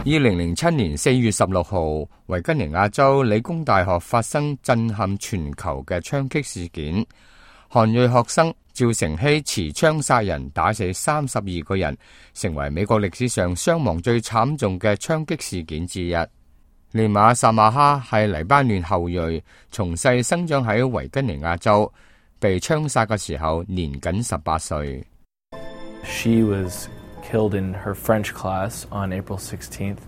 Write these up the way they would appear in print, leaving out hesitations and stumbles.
2007年4月16號，維吉尼亞州理工大學發生震撼全球嘅槍擊事件。韓裔學生趙成熙持槍殺人，打死32個人，成為美國歷史上傷亡最慘重嘅槍擊事件之一。尼瑪薩馬哈係黎巴嫩後裔，從細生長喺維吉尼亞州，被槍殺嘅時候年僅18歲。She was killed in her French class on April 16th.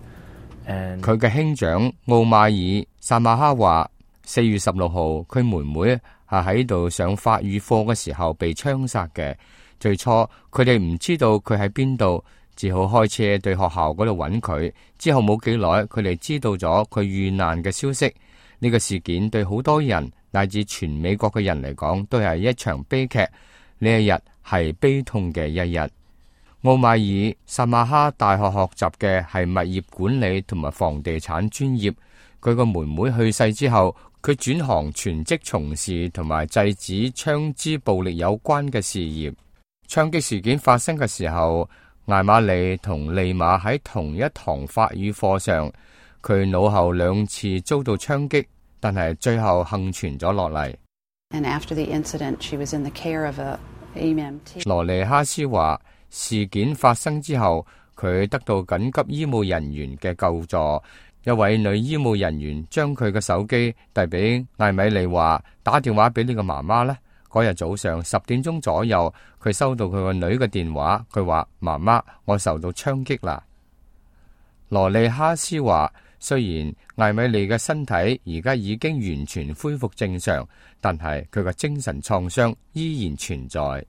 佢嘅兄長奧馬爾·薩馬哈話，4月16號佢妹妹係喺度上法語課嘅時候被槍殺嘅。最初佢哋唔知道佢喺邊度，只好開車對學校嗰度揾佢。之後冇幾耐，佢哋知道咗佢遇難嘅消息。呢個事件對好多人乃至全美國嘅人嚟講，都係一場悲劇。呢一日係悲痛嘅一日。奧馬爾·薩馬哈大學學習嘅係物業管理同埋房地產專業。佢個妹妹去世之後，佢轉行全職從事同埋制止槍支暴力有關嘅事業。槍擊事件發生嘅時候，艾瑪莉同利馬喺同一堂法語課上，佢腦後2次遭到槍擊，但係最後幸存咗落嚟。羅尼哈斯話，事件發生之後，佢得到緊急醫務人員嘅救助。一位女醫務人員將佢嘅手機遞俾艾米莉，話打電話俾呢個媽媽呢。嗰日早上10點鐘左右，佢收到佢個女嘅電話，佢話媽媽，我受到槍擊啦。羅利哈斯話，雖然艾米莉嘅身體而家已經完全恢復正常，但係佢嘅精神創傷依然存在。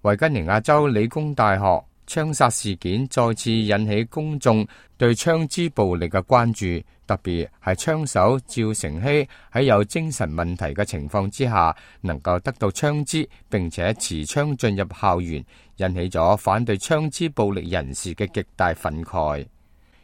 維吉尼亞州理工大學槍殺事件再次引起公眾對槍支暴力嘅關注，特別係槍手趙成熙喺有精神問題嘅情況之下，能夠得到槍支並且持槍進入校園，引起咗反對槍支暴力人士嘅極大憤慨。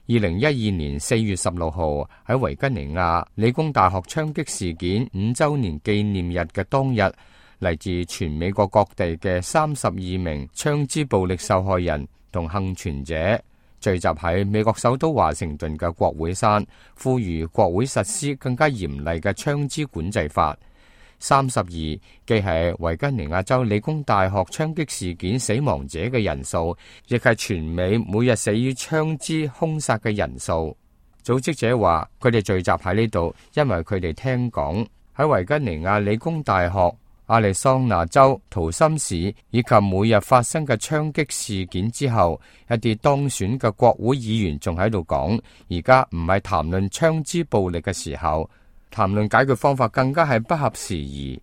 2012年4月16號喺維吉尼亞理工大學槍擊事件5週年紀念日嘅當日，嚟自全美國各地嘅32名槍支暴力受害人同幸存者聚集喺美國首都華盛頓嘅國會山，呼籲國會實施更加嚴厲嘅槍支管制法。32既係維吉尼亞州理工大學槍擊事件死亡者嘅人數，亦係全美每日死於槍支兇殺嘅人數。組織者話，佢哋聚集喺呢度，因為佢哋聽講喺維吉尼亞理工大學、亞利桑那州圖森市以及每日發生嘅槍擊事件之後，一啲當選嘅國會議員仲喺度講，而家唔係談論槍支暴力嘅時候，談論解決方法更加係不合時宜。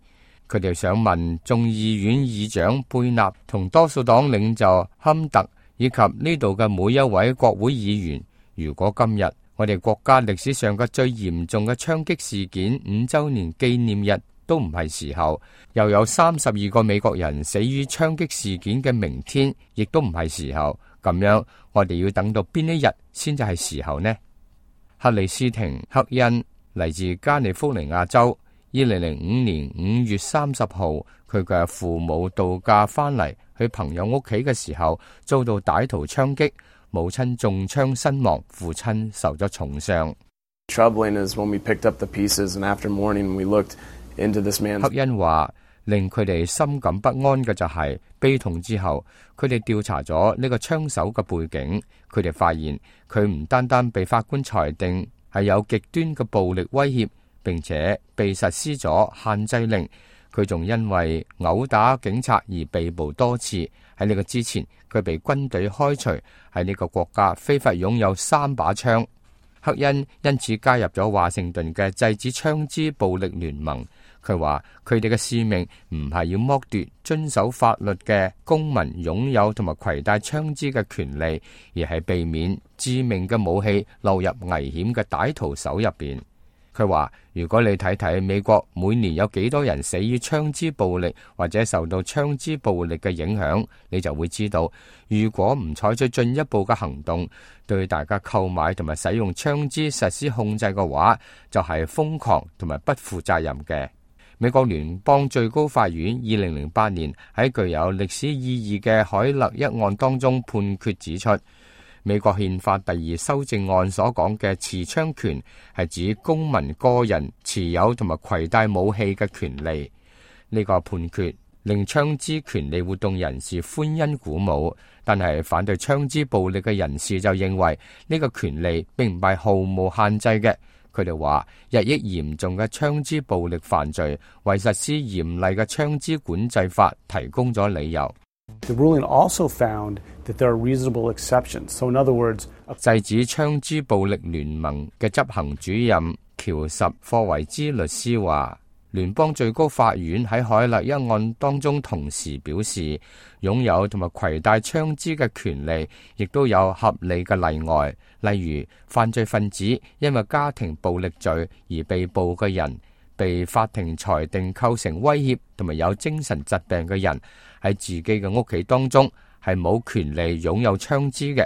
佢哋想問眾議院議長貝納同多數黨領袖坎特以及呢度嘅每一位國會議員，如果今日我哋國家歷史上嘅最嚴重嘅槍擊事件5週年紀念日都唔係時候，又有32個美國人死於槍擊事件嘅明天，亦都唔係時候。咁樣我哋要等到邊一日先至係時候呢？克里斯廷·克恩嚟自加利福尼亞州，2005年5月30號，佢嘅父母度假翻嚟去朋友屋企嘅時候，遭到歹徒槍擊，母親中槍身亡，父親受咗重傷。克恩話，令佢哋深感不安嘅就係悲痛之後，佢哋調查咗呢個槍手嘅背景，佢哋發現佢唔單單被法官裁定係有極端嘅暴力威脅，並且被實施咗限制令，佢仲因為毆打警察而被捕多次。喺呢個之前，佢被軍隊開除，喺呢個國家非法擁有3把槍。克恩因此加入咗華盛頓嘅制止槍支暴力聯盟。佢話佢哋嘅使命唔係要剝奪遵守法律嘅公民擁有同埋攜帶槍支嘅權利，而係避免致命嘅武器落入危險嘅歹徒手入邊。佢話如果你睇睇美國每年有幾多人死於槍支暴力或者受到槍支暴力嘅影響，你就會知道，如果唔採取進一步嘅行動，對大家購買同埋使用槍支實施控制嘅話，就係瘋狂同埋不負責任嘅。美國聯邦最高法院2008年喺具有歷史意義嘅海勒一案當中判決指出，美國憲法第2修正案所講嘅持槍權係指公民個人持有同埋攜帶武器嘅權利。呢個判決令槍支權利活動人士歡欣鼓舞，但係反對槍支暴力嘅人士就認為呢個權利並唔係毫無限制嘅。佢哋話日益嚴重嘅槍支暴力犯罪為實施嚴厲嘅槍支管制法提供咗理由。The ruling also found that there are reasonable exceptions. So in other words, 制止槍支暴力聯盟嘅執行主任喬什霍維茲律師話，聯邦最高法院喺海勒一案當中同時表示，擁有同埋攜帶槍支嘅權利亦都有合理嘅例外，例如犯罪分子因為家庭暴力罪而被捕嘅人，被法庭裁定構成威脅同埋有精神疾病嘅人，喺自己嘅屋企當中係冇權利擁有槍支嘅。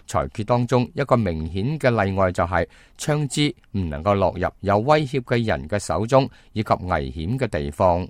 裁決當中一個明顯嘅例外就係槍支唔能夠落入有威脅嘅人嘅手中以及危險嘅地方。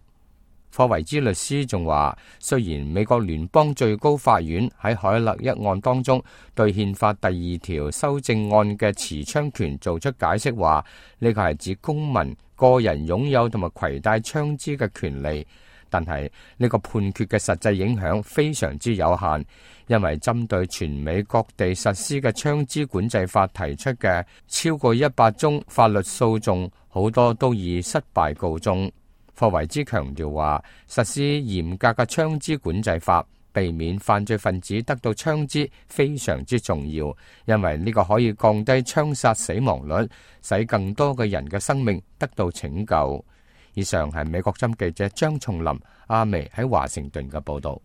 霍維茲律師仲話，雖然美國聯邦最高法院喺海勒一案當中對憲法第2條修正案嘅持槍權做出解釋，話呢個係指公民個人擁有同埋攜帶槍支嘅權利，但係呢個判決嘅實際影響非常之有限，因為針對全美各地實施嘅槍支管制法提出嘅超過100宗法律訴訟，好多都以失敗告終。霍維茲強調話，實施嚴格嘅槍支管制法，避免犯罪分子得到槍支非常之重要，因為呢個可以降低槍殺死亡率，使更多嘅人嘅生命得到拯救。以上係美國針記者張松林阿薇喺華盛頓嘅報道。